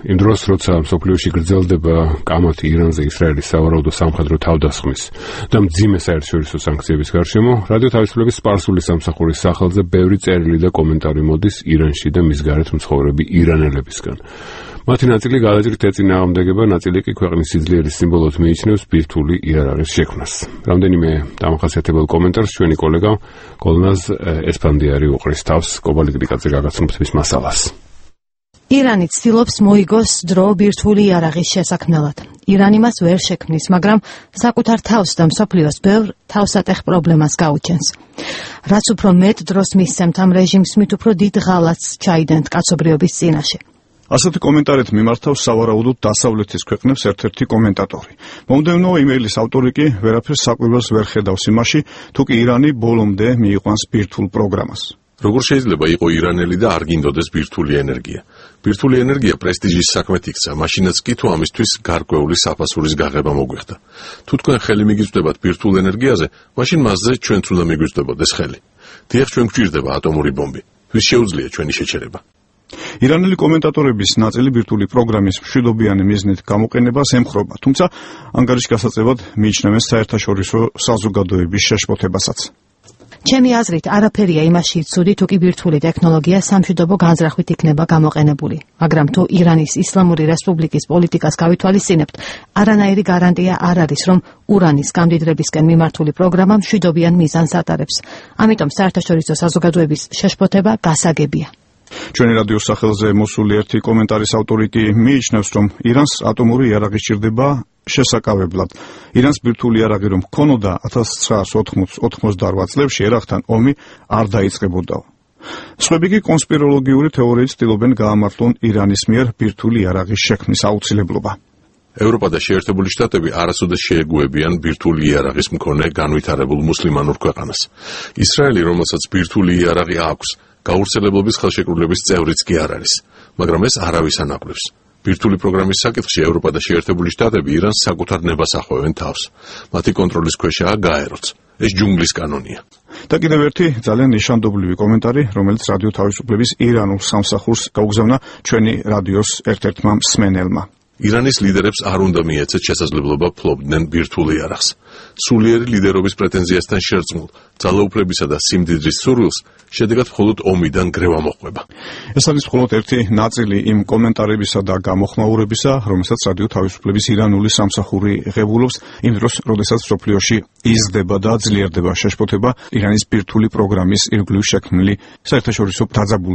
იმ დროს, როცა მსოფლიოში გრძელდება კამათი ირანზე ისრაელის სავარაუდო სამხედრო თავდასხმის და მძიმე საერთაშორისო სანქციების გარშემო, რადიო თავისუფლების სპარსული სამსახურის სახელზე ბევრი წერილი და კომენტარი მოდის ირანში და მის გარეთ მცხოვრები ირანელებისგან. მათი ნაწილი გადაჭრით ეწინააღმდეგება, ნაწილი კი ქვეყნის სიძლიერის სიმბოლოდ მიიჩნევს ბირთვული იარაღის შექმნას. რამდენიმე დამახასიათებელ კომენტარს ჩვენი კოლეგა გოლნაზ ესპანდიარი უყრის თავს კობალიკრიკაძე გაგაცნობთ მის მასალას. ირანი ცდილობს მოიგოს დრო ბირთვული იარაღის შესაქმნელად. ირანი მას ვერ შექმნის, მაგრამ საკუთარ თავს და მსოფლიოს ბევრ თავსატეხ პრობლემას გაუჩენს. რაც უფრო მეტ დროს მისცემთ ამ რეჟიმს, მით უფრო დიდ ღალატს ჩაიდენთ კაცობრიობის წინაშე. ასეთი კომენტარით მიმართავს სავარაუდოდ დასავლეთის ქვეყნებს ერთ-ერთი კომენტატორი. მომდევნო იმეილის ავტორი კი ვერაფერს საკვირველს ვერ ხედავს იმაში, თუ კი ირანი ბოლომდე მიიყვანს ბირთვულ პროგრამას. როგორ შეიძლება იყო ირანელი და არ გინდოდეს ბირთვული ენერგია? ბირთვული ენერგია პრესტიჟის საქმეთ იქცა, მაშინაც კი თუ ამისთვის გარკვეული საფასურის გაღება მოგვიხდა. თუ თქვენ ხელი მიგიწვდებათ ბირთვულ ენერგიაზე, მაშინ მასზე ჩვენც უნდა მიგვიწვდებოდეს ხელი. დიახ, ჩვენ გვჭირდება ატომური ბომბი. ვის შეუძლია ჩვენი შეჩერება? ირანელი კომენტატორების ნაწილი ბირთვული პროგრამის მშვიდობიანი მიზნით გამოყენებას ემხრობა, თუმცა ანგარიშ გასაწევად მიიჩნევენ საერთაშორისო საზოგადოების შეშფოთებასაც. ჩემი აზრით, არაფერია იმაში ცუდი, თუ კი ბირთვული ტექნოლოგია სამშვიდობო განზრახვით იქნება გამოყენებული. მაგრამ თუ ირანის ისლამური რესპუბლიკის პოლიტიკას გავითვალისწინებთ, არანაირი გარანტია არ არის, რომ ურანის გამდიდრებისკენ მიმართული პროგრამა მშვიდობიან მიზანს ატარებს. ამიტომ საერთაშორისო საზოგადოების შეშფოთება გასაგებია. ჩვენი რადიოს სახელზე მოსული ერთი კომენტარის ავტორი კი მიიჩნევს, რომ ირანს ატომური იარაღი სჭირდება შესაკავებლად. ირანს ბირთვული იარაღი რომ ჰქონოდა 1988 წლებში ერახთან ომი არ დაიწყებოდაო. სხვები კი კონსპიროლოგიური თეორიით ცდილობენ გაამართლონ ირანის მიერ ბირთვული იარაღის შექმნის აუცილებლობა. ევროპა და შეერთებული შტატები არასოდეს შეეგუებიან ბირთვული იარაღის მქონე განვითარებულ მუსლიმანურ ქვეყანას. ისრაელი, რომელსაც ბირთვული იარაღი აქვს, გავრცელებლობის ხელშეკრულების წევრიც კი არ არის, მაგრამ ეს არავის ანაკლებს. ბირთვული პროგრამის საკითხში ევროპა და შეერთებული შტატები ირანს საკუთარ ნებას ახვევენ თავს. მათი კონტროლის ქვეშაა გაეროც. ეს ჯუნგლის კანონია. და კიდევ ერთი ძალიან ნიშანდობლივი კომენტარი, რომელიც რადიო თავისუფლების ირანულ სამსახურს გაუგზავნა ჩვენი რადიოს ერთ-ერთმა მსმენელმა. ირანის ლიდერებს არ უნდა მიეცეთ შესაძლებლობა ფლობდნენ ბირთვულ იარაღს. სულიერი ლიდერობის პრეტენზიასთან შერწყმულ, ძალაუფლებისა და სიმდიდრის სურვილს შედეგად მხოლოდ ომიდან გრევა მოჰყვება. ეს არის მხოლოდ ერთი ნაწილი იმ კომენტარებისა და გამოხმაურებისა, რომელსაც რადიო თავისუფლების ირანული სამსახური ღებულობს იმ დროს, როდესაც მსოფლიოში იზრდება და ძლიერდება შეშფოთება ირანის ბირთვული პროგრამის ირგვლივ შექმნილი საერთაშორისო დაძაბული